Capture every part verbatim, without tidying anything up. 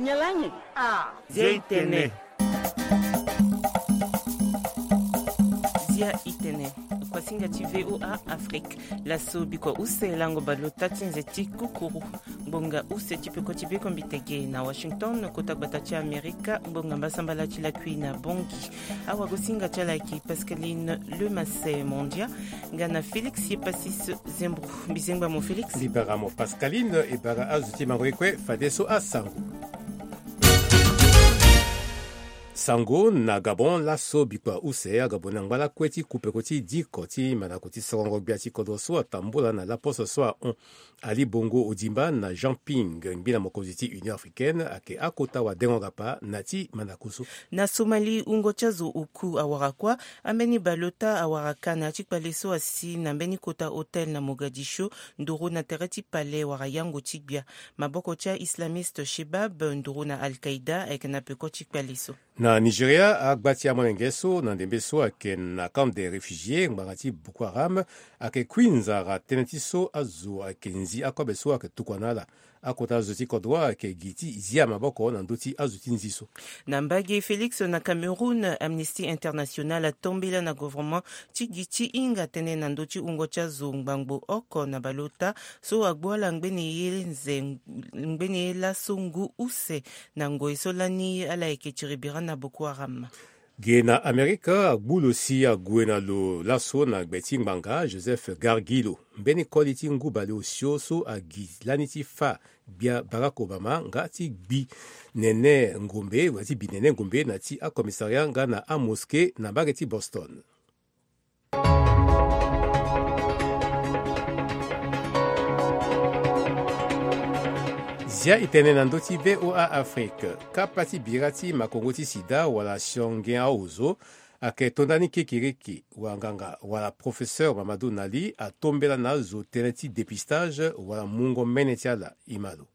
Nyalangi. Ah. Zia itene. Zia itene. Kuasinga ti VOA Afrique. Laso bikua use lango baleota ti nze ti kukuru. Ngbonga use ti peko ti bekombiteke na Washington, kota gbata ti Amerika, ngbonga mbasambala ti lakui na Bongi. Awagosinga ti ala yeke Pascaline Lemasse Mondia, nga na Félix Yepasis Zembro. Mbizengba mo Félix. Mbi bara mo Pascaline, e bara azo ti mango ye kue fadeso asango. Sango na Gabon. Laso bikua use agabon na ngba lakue ti kupeko ti diko ti mandako ti sorongo gbia ti kodro so atambula na laposo so ahon Ali Bongo Odimba na Jean Ping, ngbina mokonzi ti Union Africaine, ayeke akota wadengo-gapa na ti mandako so. Na Somalie, wungo ti azo oku awara kuâ, ambeni baleota awara ka na ya ti kpale so asi na mbeni kota hôtel na Mogadiscio, nduru na tere ti palais wala yango ti gbia. Maboko ti a-islamiste Shebab, nduru na Al-Qaïda, ayeke na peko ti kpale so. Na Nigeria, agba ti amolenge so na ndembe so ayeke na camp des réfugiés ngbanga ti Boko Haram ayeke kui nzara tënë ti so azo ayeke nzi akobe so ayeke tokua na ala. Akota zo ti kodro ayeke gi ti zia maboko na ndö ti azo ti nzi so. Na mbage Félix, na Cameroun, Amnesty International atombela na gouvernement ti gi ti hinga tënë na ndö ti wungo ti azo ngbangbo oko na baleota so agbu ala ngbene ye nze, ngbene ye laso ngu use na ngoi so lani ala yeke tiri bira na Boko Haram. Ge na Amerika, agbu lo si ague na lo laso na gbe ti ngbanga Joseph Gargiulo, mbeni koli ti ngu baleosio so agi lani ti fâ gbia Barack Obama nga ti gbi nene ngombe, wala ti bi nene ngombe na ti acommissariat nga na amosquée na mbage ti Boston. Zia itene na ndö ti VOA Afrique. Kapa ti bira ti makongo ti sida wala sionge aozo ayeke to ndani kekiriki. Wanganga wala professeur Mamadou Nali atombela na azo tënë ti dépistage wala mungo mene ti ala. Imalo.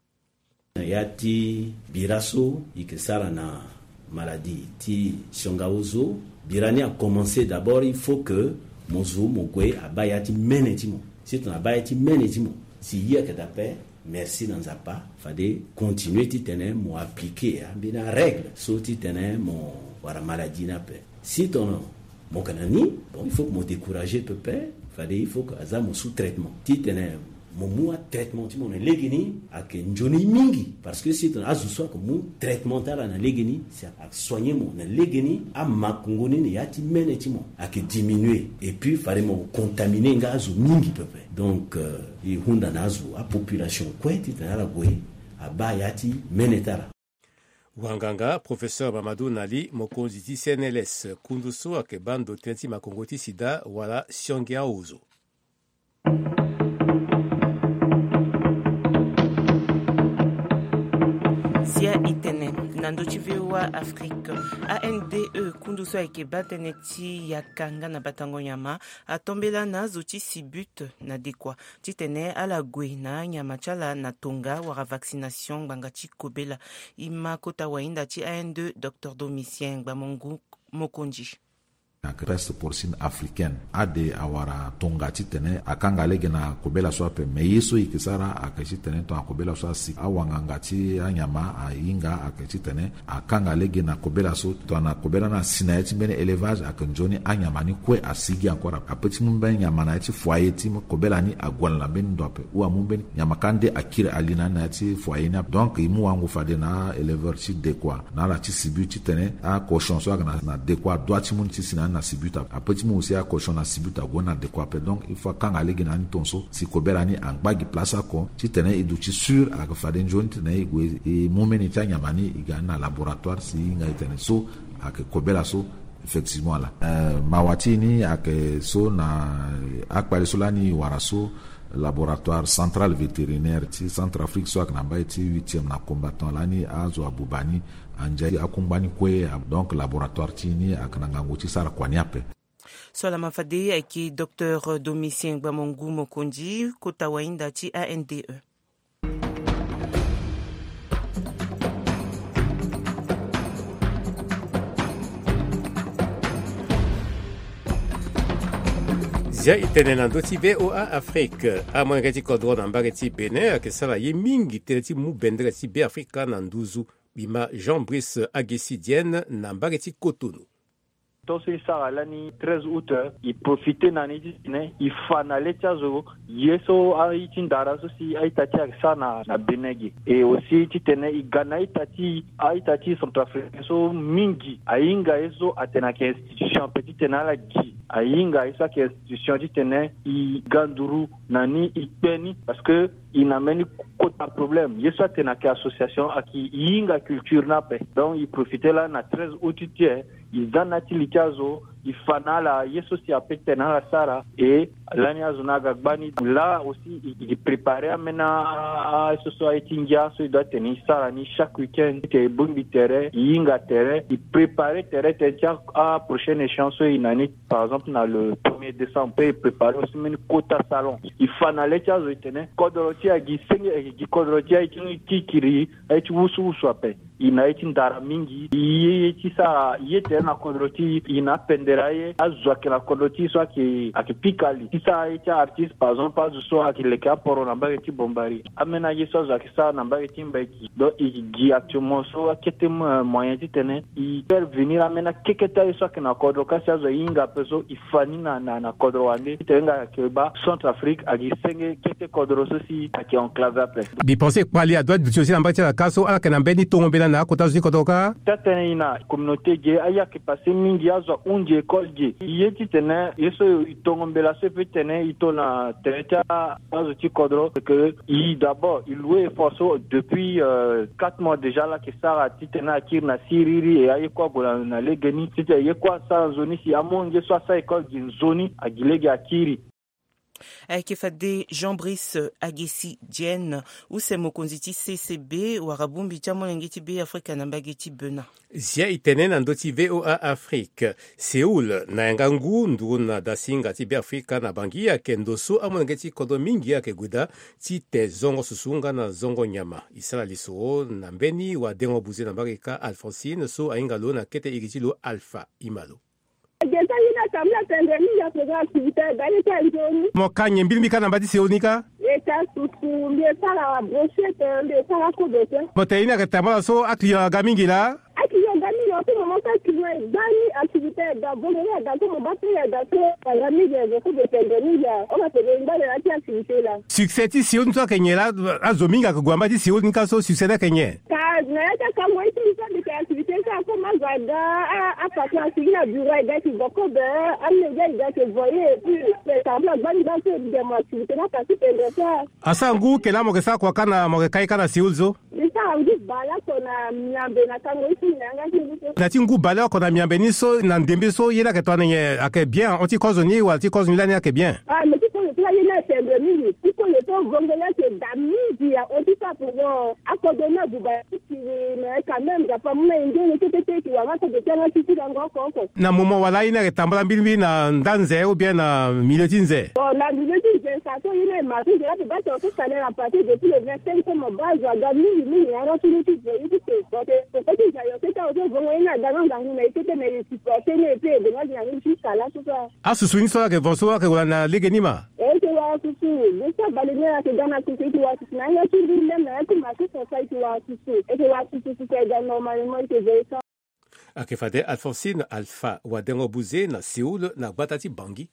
Na ya ti bira so i yeke sara na maladie ti sionga ozo, bira ni akomanse d'abord, il faut que mo zo mo gue abaa ya ti mene ti mo. Si tongana abaa ya ti mene ti mo, si ye ayeke daa ape, merci na Nzapa. Fade continue titene mo appliquer ambeni arègle so titene mo wara maladie ni ape. Si tongana mo yeke na ni, bon, il faut que mo décourager pepe. Fade il faut que aza mo sous traitement titene mo mu atraitement ti mo na legeni. Ayeke nzoni mingi, parce que si tongana azo so ayeke mu traitement ti ala na legeni, si ayeke soigner mo na legeni, amakongo ni na ya ti mene ti mo ayeke diminuer. Et puis fade mo contaminer nga azo mingi pepe. Donc, euh, e hunda na azo, apopulation kue, titene ala gue abaa ya ti mene ti ala. Wanganga professeur Mamadou Nali, mokonzi ti C N L S, kundu so ayeke baa ndo tënë ti makongo ti sida wala sionge aozo. Zia itene na ndö ti VOA Afrique. A N D E, kundu so ayeke baa tënë ti yaka nga na batango nyama, atombela na azo ti Sibut na Dekoa titene ala gue na anyama ti ala na tonga wala vaccination ngbanga ti kobela. E ma kota wahinda ti A N D E, Docteur Domitien Ngbamongu Mokonzi. Na peste porcine africaine, ade awara tonga titene akanga lege na kobela so ape. Me ye so e yeke sara ayeke titene tongana kobela so asi, awanganga ti anyama ahinga ayeke titene akanga lege na kobela so. Tongana kobela ni asi na ya ti mbeni élevage, ayeke nzoni anyama ni kue asi gi encore ape. Ape ti mu mbeni nyama na ya ti foyer ti kobela ni ague ala na mbeni ndo ape. Ou amu mbeni nyama kâ nde akiri ali na ni na ya ti foyer ni ape. Donc e mu wango fade na aéleveur ti Dekoa na ala ti Sibut titene acochon so ayeke na, na Dekoa adoit ti mu ni ti si na ni na Sibut ape. Ape ti mu aussi acochon na Sibut ague ni na Dekoa ape. Donc il faut akanga lege na ni tongaso si kobela ni angba gi place oko titene e duti sûr. Ayeke fade nzoni titene e gue e mu mbeni ti anyama ni e ga ni na laboratoire si e hinga e tene so ayeke kobela so effectivement ala. Euh, mawa ti e ni ayeke so na akpale so lani e wara so, laboratoire central vétérinaire ti Centrafrique so ayeke na mbai ti huitième na combattant lani azo abuba ni andia akungba ni kue. Donc laboratoire ti e ni ayeke na ngangu ti sara kua ni ape. So alama fade ayeke Docteur Domitien Ngbamongu Mokonzi, kota wahinda ti A N D E. Zia itene na ndö ti VOA Afrique. Amolenge ti kodro na mbage ti Bénin ayeke sara ye mingi tënë ti mu bendere ti Beafrika na nduzu. Bima Jean Brice Agesi Dienne na mbage ti Cotonou. Tonso e sara lani treize août, e profite na ni titene e fa na le ti azo ye so aye ti ndara so si a-ita ti e ayeke sara na, na Bénin ge. E aussi titene e ga na a-ita ti, a-ita ti centrafricain so mingi ahinga ye so atene ayeke institution ape titene ala gi ahinga ye so ayeke institution titene e ga nduru na ni e kpe ni parce que e na mbeni kota problème. Ye so atene ayeke association ayeke e hinga culture ni ape. Donc e profite lani na treize août ti e, e za na ya ti li ti azo, e fa na ala ye so si ape tene ala sara. E lani azo ni aga gba ni laa aussi e, e prépare ambeni a, a, a, so so aye ti ngia so e doit tene e sara ni chaque week-end. Titene e bongbi tere, e hinga tere, e prépare tere tene ti a, a prochaine échéance so e na ni. Par exemple na le premier décembre pe e prépare aussi mbeni kota salon. E fa na le ti azo e tene kodro ti e agi senge, e gi kodro ti e aye ti kiri, aye ti wusu wusu ape. E na ye ti ndara mingi. E ye, ye ti sara ye tere na kodro ti e, e na apendere aye. Azo ayeke na kodro ti e so ayeke, ayeke pika li ti sara ye ti a-artiste, par exemple azo so ayeke leke aporo na mbage ti Bombari. Ambeni aye so azo ayeke sara na mbage ti Mbaiki. Donc e gi actuellement so akete mo-, moyen titene e faire venir ambeni akekete aye so ayeke na kodro kasi azo ahinga ape so e fa ni na, na, na kodro wande titene nga ayeke baa Centrafrique agi senge kete kodro so si ayeke enclave ape. Mbi pense kpali adoit duti aussi na mbage ti ala ka so ala yeke na mbeni tongo mbela na akota azo ti kodro ka. Ti atene e na communauté ge aye ayeke passe mingi, azo ahunzi école ge. E ye titene ye so e tongo mbela so e peut tene e to na tere ti a, azo ti kodro, c'est que e d'abord e loue effort so depuis, euh, quatre mois déjà ala yeke sara titene akiri na siriri e aye kue ague na, na legeni titene ye kue asara nzoni si amolenge so asara école gi nzoni agi lege akiri. Ayeke fade Jean Brice Agesi Dienne, use mokonzi ti C C B wala bongbi ti amolenge ti Beafrika na mbage ti Bénin. Zia e tene na ndö ti V O A Afrique. Séoul na yanga ngu nduru na dasinga ti Beafrika na Bangui ayeke ndo so amolenge ti kodro mingi ayeke gue daa ti te zongo susu nga na zongo nyama. E sara lisoro na mbeni wadengo buze na mbage ka Alphonsine so ahinga lo na kete iri ti lo Alpha Imalo. Geta ye ni atambula tene mingi afaga activité aye ti anzoni. Mo ka nyen mbirimbiri ka na mba ti Séoul ni ka? Geta susu mbi e sara brochette, mbi e sara kobe te. Mo tene ye ni ayeke tambula so aclient aga mingi laa? Aclient aga mingi laa, so mo ma so aclient e gba ni activité aga, vo mo ye aga so mo baa prix aga so aga mingi, aga kobe tene mingi a. Homa tene e ngba na ya ti activité laa. Succès ti Séoul ni so ayeke nyen laa? Azo mingi ayeke gue na mba ti Séoul ni ka so succès ni ayeke nyen? Ka na ya ti akango ye ti mbi so mbi yeke activité so akomo azo aga, a, apatron asigi na bureau aga e yeke vo kobe, amédia e ga e yeke voye, et puis pe tambula gbani gbani so e gi mo activité ni apasi pendere so. Asara ngu ke laa mo yeke sara kua ka na, mo yeke ka ye ka na Séoul so? Mbi sara ngu bale oko na miambe na kango ye ti mbi na yanga ti ngu so. Na ya ti ngu bale oko na miambe ni so na ndembe so ye ni ayeke tongana nyen, ayeke bien hon ti kozo ni wala ti kozo ni lani ayeke bien? Ah, mais ti kozo ti la ye ni ayeke pendere mingi. Ti kozo so vongo ni ayeke da mingi ya hon ti sara pendere. Akodro ni abuba ti kiri, mais quand même, Nzapa amu na e nzoni kete ti e yeke wara akodro ti yanga ti ti lango oko oko. Na moment wala ye ni ayeke tambula mbirimbiri na nda nze ou bien na milieu ti nze? Bon, na milieu ti nze, sa so ye ni aye marché nze la pe baa tongana so salaire à partir depuis le vingt-cinq so mo baa azo aga mingi mingi na yanga ti ni ti voye ti te. Bon, te koko ti nze ayo kete azo so vongo ye ni aga na ngangu na e kete, mais e supporter ni et puis e gue na azo na ni ti sala so so. Asusu ni so ayeke vo so ayeke wara na lege ni ma? E yeke wara susu. Be so abale ni ayeke ga na susu, e yeke wara susu na yanga ti ngu lem na ya ti marché so so e yeke wara susu. E yeke wara susu, susu ayeke ga normalement, e yeke voye so. Ayeke fade Alphonsine Alpha, wadengo buze na Séoul na gbata ti Bangui.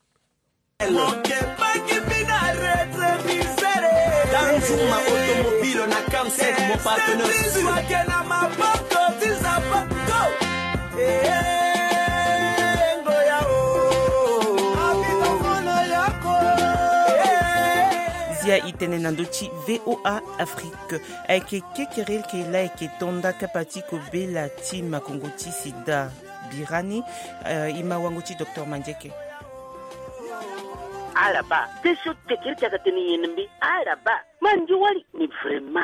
Mo ke baki mbi na rétroviseur. Danzuma automobile na Camsec, mon partenaire sûr. Wake na maboko ti Nzapa. Go. Eh, ngoya o. Abino mono yako. Eh. Zia e tene na ndö ti V O A Afrique. Ayeke kekereke laa ayeke to nda kapa ti kobela ti makongo ti sida. Birani, eh, e ma wango ti docteur Mandieke. Ala baa, te so kekereke ayeke tene nyen na mbi? Ala baa, ma ndio wali. Mais vraiment,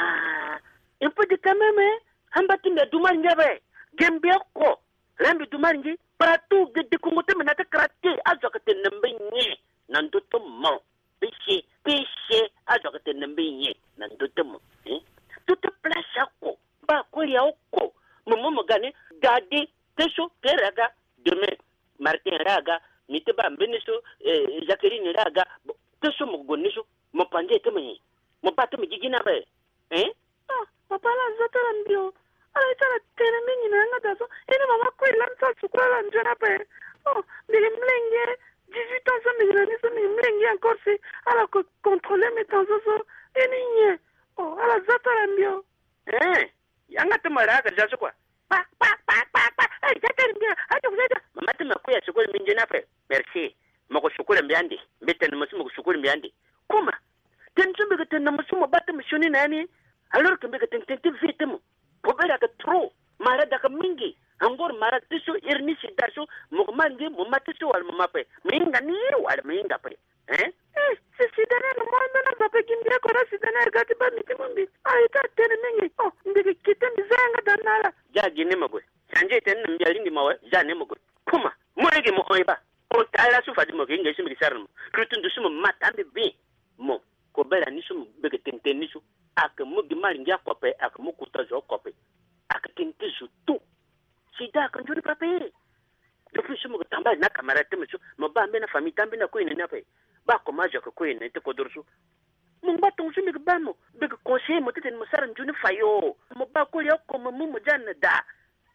un peu de quand même, hein? Amba ti mbi adu maringi ape. Ge mbi oko. Laa mbi du maringi. Partout, ge dekongo ti mbi na ya ti kara te. Azo ayeke tene na mbi nyen na ndö ti mo? Péché, péché, azo ayeke tene na mbi nyen na ndö ti mo? Hein? Tout place oko, baa kolia oko. Mo mu mo ga ni, gade, te so, Pierre aga, demain, Martin ra aga, mi te baa mbeni so, eh, Jacqueline ra aga, bon, te so mo gue ni so, mo pangi ti mo nyen? Mo baa ti mo gigi ni ape, hein? Ah, papa la zo tara mbi o. Ala ye ti ala tene mingi na yanga daa so. Ini mama kue lani so ala sukula ala nzoni ape. Oh, mbi gi mlenge dix-huit ans so mbi gi na ni so mbi gi mlenge encore si ala ko contrôler mi temps so so. Ini nyen? Oh, ala za ti ala mbi o. Eh, yanga ti mo ra aka za so kua. Pa pa pa pa pa. Eh, za ti ala mbi a. Adio za ti ala. Mama ti mo kue ya sukula mbi nzoni ape. Merci. Mo ko sukula mbi ande. Mbi tene mo si mo ko sukula mbi ande. Kuma. Tene so mbi ko tene na mo so mo ba ti mo sioni na ya ni. Alors que mbi ko tene tene ti vie ti mo. Kobela ka trop. Mara daka mingi. Angor mara ti so iri ni sida so. Mo ko ma ngi mo ma ti so wala mo ma pe. Mo hinga ni wala mo hinga pe. Hein? Eh, si sida ni na mo ndo na ba pe gi mbi ko na sida ni aga ti ba mbi ti mo mbi. Aye ti atene mingi. Oh, mbi ko kite mbi za yanga daa na ala. Ja gi ni mo gue. Sanje tene na mbi alingbi mo we. Ja ni mo gue. Kuma. Mo yeke mo hon e ba. Ota ala so fade mo yeke hinga ye so mbi yeke sara na mo. Lutu ndo so mo ma taa mbi bien. Mo kobela ni so mo beke tene tene ni so. Ayeke mu gi malingi akope, ayeke mu kota zo akope. Ayeke tene ti zo tout. Sida ayeke nzoni pape. Depuis so mo yeke tambala na camarade ti mo so, mo baa mbeni afamille ti ambeni akue na ni ape. Baa comment zo ayeke kue na ni ti kodoro so. Mo ngba tongo so mbi yeke baa mo, mbi yeke conseiller mo titene mo sara nzoni fayo. Mo baa koli oko mo mu mo ja na daa.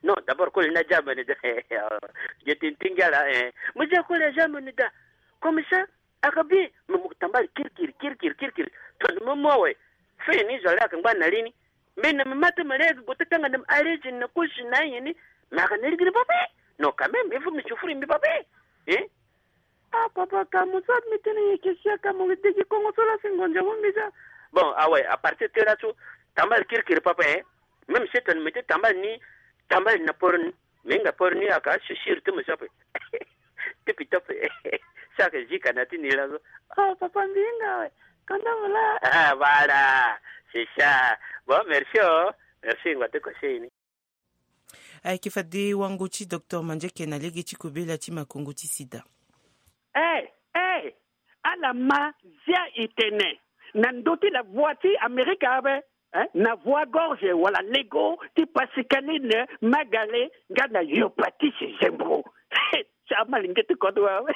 Non, d'abord koli ni aja mo na daa. Ge tene ti ngia laa, eh. Mo ja koli aja mo na daa. Comme ça, ayeke bien. Me mo yeke tambala kirikiri kirikiri kirikiri. Tongana mo mu awe, fini zo ale ayeke ngba na li ni. Mbi na me ma ti me lege gue ti tanga na me arrêté na kosi na ayen ni. Me ayeke na lege ni pape. Non, quand même il faut me souffrir mbi pape. Hein? Ah papa, ka mo so abi mbi tene nyen? Ke sia ka mo degi kongo so laa si ngonja mo mbi ja. Bon, awe, à partir ti laso, tambala kirikiri papa, hein. Même si tene mbi ti tambala ni, tambala na poro ni. Me hinga poro ni aka, si siri ti mo so ape. Ti pita ape. Si ayeke zi ka na ti ni laso. Oh papa, mbi hinga awe. Kanda mo laa. Ah voilà. C'est ça. Bon, merci o. Merci ngba ti conseil ni. Ayeke fade wango ti docteur Mandieke na lege ti kobela ti makongo ti sida. Eh, eh, ala ma zia e tene na ndö ti la voix ti Amerika ape, eh, na voix gorge wala lego ti Pascaline Magale nga na Yopatis Zembro. Ti amalenge ti kodro awe.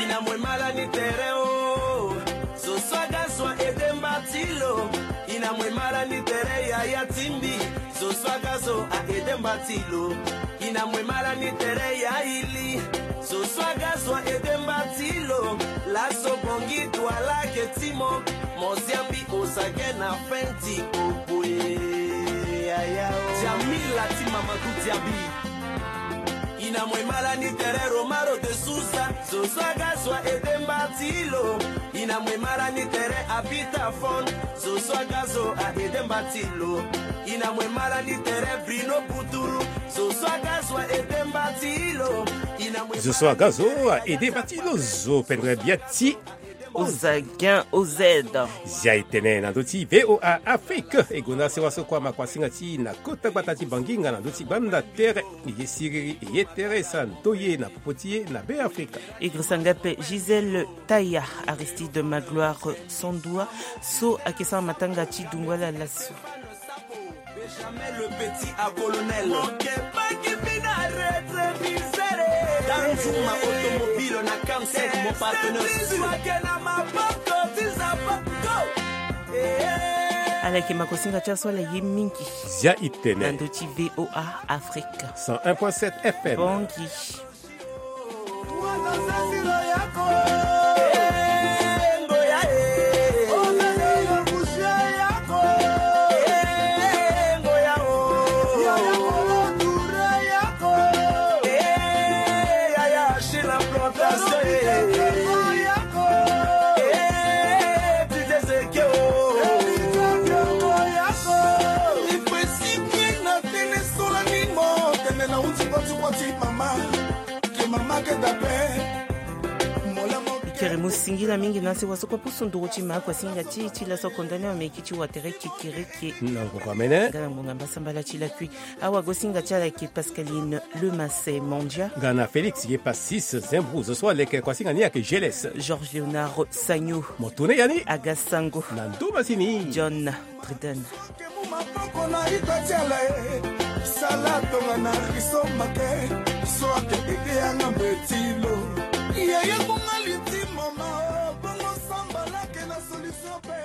Ina mwe mala ni tere o. Zo so aga zo a ede mba ti lo. Ina mwe mala ni tere yaya ti mbi. Zo so aga zo a ede mba ti lo. Ina mwe mala ni tere ya ili. Zo so aga zo a ede mba ti lo. Laso bongi dua lake ti mo. Mo zia mbi ozage na fenti oboye. Yaya o. Jamila ti Mamadou Diaby. Ina mwe mala ni tere Romaro de Souza. Zo so aga zo a ede mba ti lo. Ina mwe mala ni tere Abita Fon. Zo so aga zo a ede mba ti lo. Ina mwe mala ni tere Brino Buturu. Zo so aga zo a ede mba ti lo. Ina mwe zo so aga zo a ede mba ti lo. Zo pendre bia ti Ozagen O Z. Zia e tene na ndö ti V O A Afrique. E gue na sewa so kue ama kuasinga ti na kota gbata ti Banginga na ndö ti gbanda tere. E ye siriri, e ye tere, e sara ndoye na popo ti e na Be Afrika. E girisa nga ape Gisèle Taya, Aristide Magloire Sandua so ayeke sara matanga ti dungu ala laso. Benjamin le petit à colonel. Moke baki bina rétroviseur. Danzuma automobile na Camsec, mon partenaire sûr. Ala yeke makosinga ti aso ala ye mingi. Zia e tene na ndö ti V O A Afrique. Cent un point sept F M. Bongi. Mama, que mama que da pé. Ikere mu singila mingi na sewa so kue pusu nduru ti ma akuasinga ti e ti laso akonda ni ameki ti watere kekereke. Na ngonga mene nga na ngonga mbasambala ti lakui. Awagosinga ti ala ayeke Pascaline Lemasse Mandia. Nga na Félix ye Passis Zembru, zo so aleke kuasinga ni ayeke Geles. Georges Léonard Sagno. Mo tene ya ni aga sango na ndö masini. John Treden. Ke mu maboko na ita ti ala e. Sala tonga na riso make. So ake ede yanga mbeti lo. Yeye bonga liti mama o. Bongo sambala ke na solution pe.